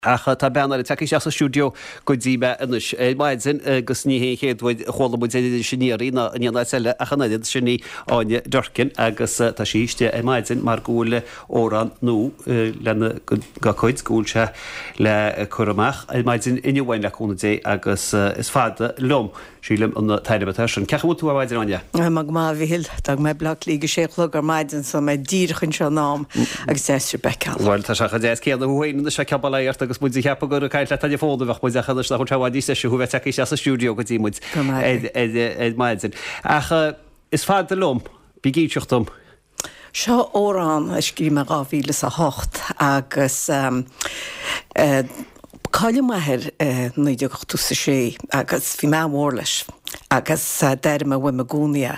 Ach tá bean eile tagtha isteach sa stiúideo go dtí mé anois ar maidin agus ní hé an chéad uair a chuala muid ar Iris Aniar í ná in aon áit eile ach an oiread, sin í Áine Durkin agus tá sí istigh ar maidin mar go bhfuil amhrán nua lena dá cuid, go bhfuil sé le cur amach ar maidin inniu uainn le cúnamh Dé agus is fada liom. Sílim an t-ainm atá air sin. Cén chaoi a bhfuil tú ar maidin, Áine? Tá mé go maith, a Mhichíl. D'fhág mé Baile Átha Cliath ag a sé a chlog ar maidin so mé díreach anseo in am agus deas sibh a fheiceáil. Bhuel, tá sé chomh deas céanna thú féin anois a fheiceáil bail ort agus muid ag ceapadh gur ag caint leat ar an bhfón a bheadh muid ach anois nach bhfuil sé i bhfad níos deise thú a bheith tagtha isteach sa stiúideo go dtí muid ar maidin. Ach is fada liom, bí ag inseacht dom. Seo amhrán a scríobh mé 2008 agus cailleadh m'athair i 1986 agus bhí mé an-mhór leis agus d'airigh mé uaim i gcónaí é.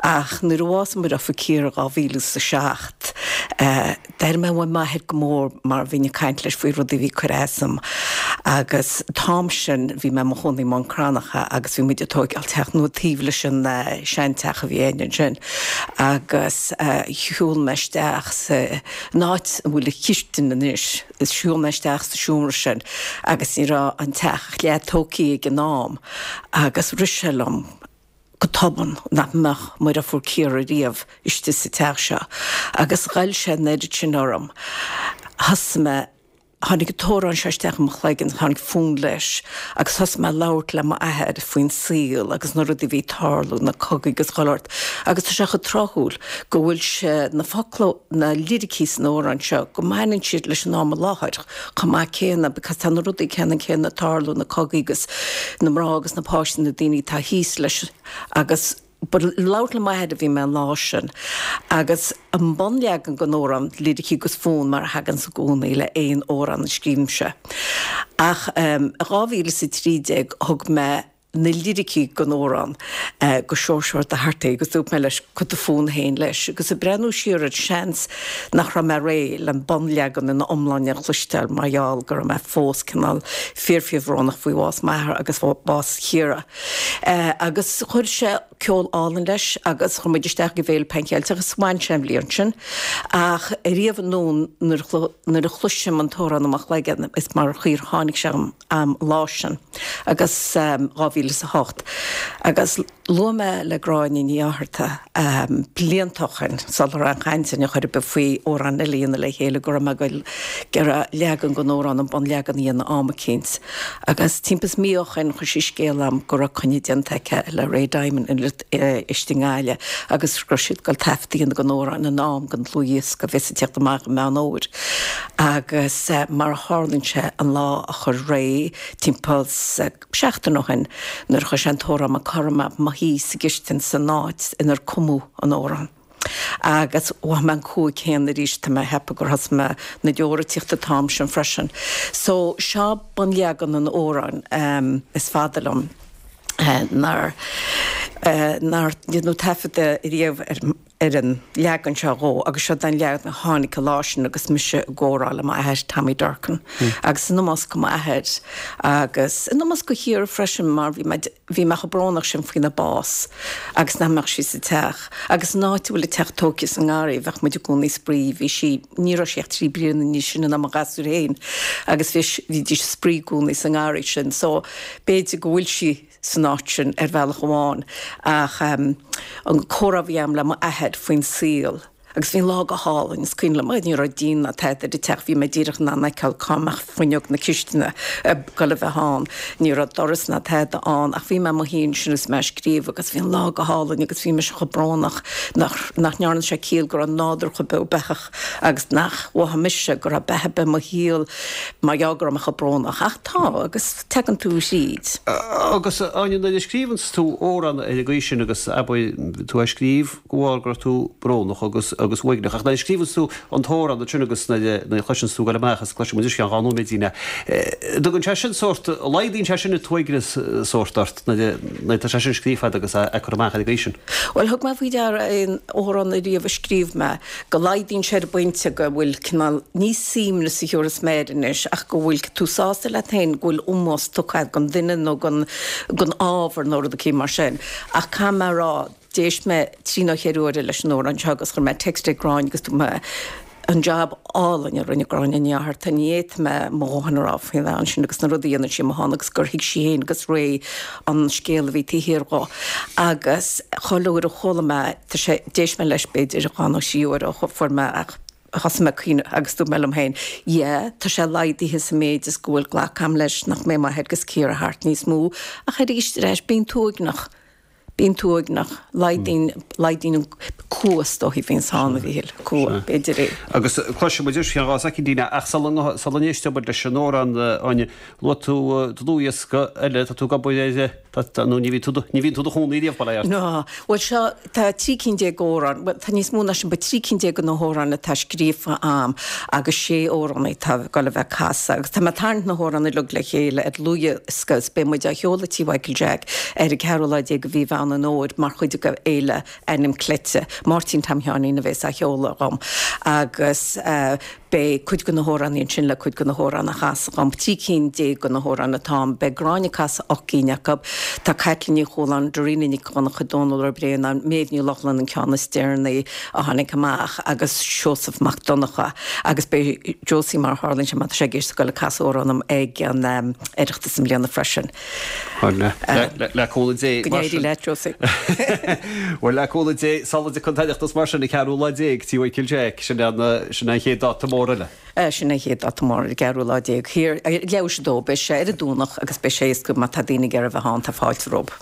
Ach nuair a bhásaigh mo dheirfiúr Ciara 2007 D'airigh mé uaim m'athair go mór mar bhínn ag caint leis faoi rudaí a bhí ag cur as dom agus an t-am sin bhí mé i mo chónaí i mBun Cranncha agus bhí muid ag tóigeáil teach nua taobh leis an seanteach a bhí againn ansin agus shiúl mé isteach san áit a bhfuil an chistin anois, shiúl mé isteach sa seomra sin agus ní raibh an teach ach leath tógtha ag an am agus rith sé liom go tobann nach mbeadh mo dheirfiúr Ciara riamh istigh sa teach seo agus ghoill sé an oiread sin orm. Thosaigh mé, tháinig an t-amhrán seo isteach i mo chloigeann, tháinig fonn leis agus thosaigh mé ag labhairt le m'athair faoin saol agus na rudaí a bhí ag tarlú, na cogaí agus chuile shórt agus tá sé chomh tráthúil go bhfuil sé, na focla, na liricí san amhrán seo, go mbaineann siad leis an am i láthair. chomh maith céanna because tá na rudaí ceannann céanna ag tarlú, na cogaí agus na mná agus na páistí, na daoine atá thíos leis agus but ag labhairt le m'athair a bhí mé an lá sin agus an bunleagan den amhrán, liricí agus fonn mar a thaganns i gcónaí le aon amhrán a scríobhaimse. Ach i 2013 thug mé na liricí den amhrán go Seoirse Ó Dochartaigh agus dúirt mé leis cuir do fhonn féin leis agus ag breathnú siar air seans nach raibh mé réidh le an bunleagan ina iomláine a chloisteáil mar gheall go raibh mé fós cineál fíor fíor bhrónach faoi bhás m'athar agus bás Chiara. Agus chuir sé ceol álainn leis agus chuir muid isteach ag an bhFéile Pan Cheilteach agus bhain sé an bhliain sin ach riamh anonn nuair a chloisim an t-amhrán i mo chloigeann is mar chaoi ar tháinig sé agam an lá sin agus 2008 agus luaigh mé le Gráinne Ní Fhátharta blianta ó shin sula raibh aon chaint ann ar chor ar bith faoi amhrán eile a dhéanamh le chéile go raibh mé ag goil ag iarraidh leagan den amhrán an bunleagan a dhéanamh am eicínt agus timpeall is mí ó shin chuir sí scéala a'm go raibh coinne déanta aici le Ray Diamond istigh i nGaillimh agus go raibh siad ag goil taifead a dhéanamh den amhrán in am don dlúthdhiosca a bheas ag tíocht amach i Meán Fhómhair. Agus mar a tharlaíonn sé, an lá a chuir Ray, timpeall 's seachtain ó shin, nuair a chuir sé an t-amhrán Maigh Codroma i mo shuí sa gcistin san áit inar cumadh an t-amhrán. Agus mhothaigh mé an cumha céanna arís, tá mé a cheapadh gur thosaigh mé na deora ag tíocht an t-am sin freisin. So, seo bunleagan an amhráin, is fada liom nár nár deineadh taifeadadh riamh ar ar an leagan seo dhó agus seo an leagan a tháinig an lá sin agus mise i gcomhrá le m'athair, Tommy Durkan, agus in ómós go m'athair agus in ómós go Chiara freisin mar bhí mé, bhí mé chomh brónach sin faoina bás agus nach mbeadh sí sa teach agus an áit a bhfuil an teach tógtha sa ngarraí bheadh muid i gcónaí ag spraoi, bhí sí, ní raibh sí ach 3 bliana níos sine ná mo ghasúir féin agus bhí, bhídís ag spraoi i gcónaí sa ngarraí sin so b'fhéidir go bhfuil sí san áit sin ar bhealach amháin ach an comhrá a bhí agam le m'athair faoin saol agus bhí an lá go hálainn, is cuimhin liom, ní raibh díon ná tada ar an teach, bhí mé díreach in ann fheiceáil cá mbeadh fuinneog na cistine ag goil a bheith ann, ní raibh doras ná tada ann ach bhí mé i mo shuí ansin agus mé ag scríobh agus bhí an lá go hálainn agus bhí mise chomh brónach nach nach ndearna sé ciall go raibh nádúr chomh beo beathach agus nach mhothaigh mise go raibh beatha ar bith i mo shaol mar gheall go raibh mé chomh brónach ach tá agus tagann tú thríd. Agus, Áine, nuair a scríobhanns tú amhrán ar an gcaoi sin agus abair tú á scríobh de bharr go raibh tú brónach agus agus uaigneach ach nuair a scríobhanns tú an t-amhrán ansin agus nuair a nuair a chloiseanns tú ag goil amach agus cloisfidh muid anois i gceann dhá nóiméidín é, dtugann sé sin sórt, laghdaíonn sé sin an t-uaigneas sórt ort nuair a nuair atá sé sin scríofa agat agus á cur amach ar an gcaoi sin? Bhuel, thug mé faoi deara aon amhrán ariamh a scríobh mé, go laghdaíonn sé ar an bpointe go bhfuil cineál, ní suaimhneas a thiúrfas mé air anois, ach go bhfuil tú sásta leat féin go bhfuil ómós tugtha agat don duine nó don ábhar nó rud eicínt mar sin. Ach caithfidh mé a rá, d'éist mé trí nó cheithre huaire leis an amhrán seo agus chuir mé text ag Gráinne agus dúirt mé. An jab álainn a rinne Gráinne Ní Fhátharta, ní fhéadfaidh mé mo dhóthain a rá faoin bhean sin agus na rudaí a dhéanann sí amuigh ann agus gur thuig sí féin agus Ray an scéal a bhí taobh thiar dho. Agus chuile uair a chuala mé, tá sé, d'éist mé leis b'fhéidir dhá nó thrí uair ó fuair mé ach thosaigh mé ag caoineadh agus dúirt mé liom féin, yeah, tá sé laghdaithe sa méid is go bhfuil glactha a'm leis nach mbeidh m'athair agus Ciara thart níos mó ach arís ar ais bíonn tú uaigneach. Bíonn tú uaigneach. Laghdaíonn, laghdaíonn an cumha is dóichí a bhíonns ann, a Mhíchíl. Cumha, b'fhéidir é. Agus cloisfidh muid arís faoi cheann 2 soicindín ach sula, sula n-éisteoidh muid leis an amhrán, Áine, luaigh tú dlúthdhiosca eile, tá tú ag obair air, tá, tá, nó ní bhíonn tú, ní bhíonn tú i do chónaí riamh, bail ó Dhia ort. Ná. Bhuel seo, tá 13 cinn d'amhráin, bhuel tá níos mó ná sin, but 13 cinn de na hamhráin atá scríofa a'm agus 6 amhránaí atá ag dul a bheith ag casadh agus tá mé ag tarraingt na hamhráin uilig le chéile ar dhlúthdhiosca is beidh muid á sheoladh Tí Mhichael Jack ar an gceathrú lá déag de mhí Mheán an Fhómhair mar chuid de Fhéile Ainm Cleite. Máirtín Tom Sheáinín a bhéas á sheoladh dhom agus beidh cuid de na hamhránaí ansin le cuid de na hamhráin a chasadh dhom. 13 cinn de na hamhráin atá ann. Beidh Gráinne ag casadh 8 gcinn acu. Tá Caitlín Ní Chualáin, Dairena Nic Dhonncha, Dónal Ó Braonáin, Méabh Ní Lochlainn an ceann is deireanaí a tháinig amach agus Seosamh Mac Donncha agus beidh Josie mar a tharlaíonn sé má tá sé ag éisteacht ag dul ag casadh amhrán dhom ag an Oireachtas i mbliana freisin. Bhuel, le cúnamh Dé. Go n-éirí leat, Josie. Bhuel, le cúnamh Dé, sula dtiocfaidh an tOireachtas mar sin, an ceathrú lá déag, Tí Mhichael Jack, sin an chéad dáta mór eile. Sin an chéad dáta mór, an ceathrú lá déag. Thiar, leathuair théis a dó, beidh sé ar an Domhnach agus beidh sé éasca má tá daoine ag iarraidh a bheith ann, tá fáilte rompu.